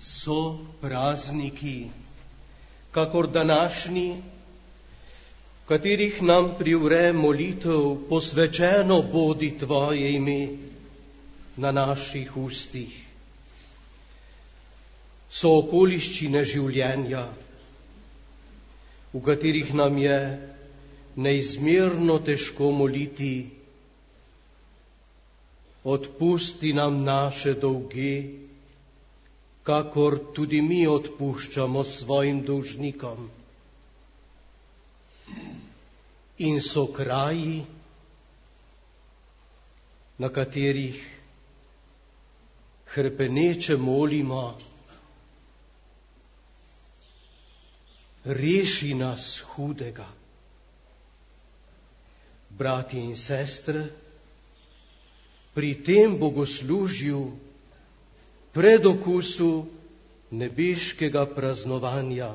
So prazniki, kakor današnji, v katerih nam privre molitev, posvečeno bodi Tvoje ime na naših ustih. So okoliščine življenja, v katerih nam je neizmerno težko moliti. Odpusti nam naše dolge, kakor tudi mi odpuščamo svojim dolžnikom. In so kraji, na katerih hrepeneče molimo: reši nas hudega. Bratje in sestre, pri tem bogoslužju, predokusu nebeškega praznovanja,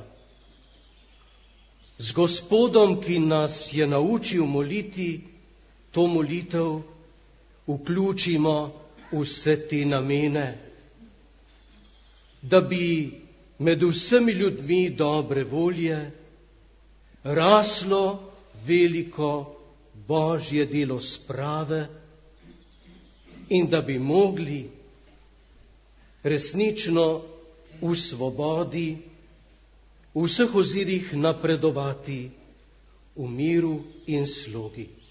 z Gospodom, ki nas je naučil moliti, to molitev vključimo vse te namene, da bi med vsemi ljudmi dobre volje raslo veliko Božje delo sprave in da bi mogli resnično v svobodi, v vseh ozirih napredovati v miru in slogi.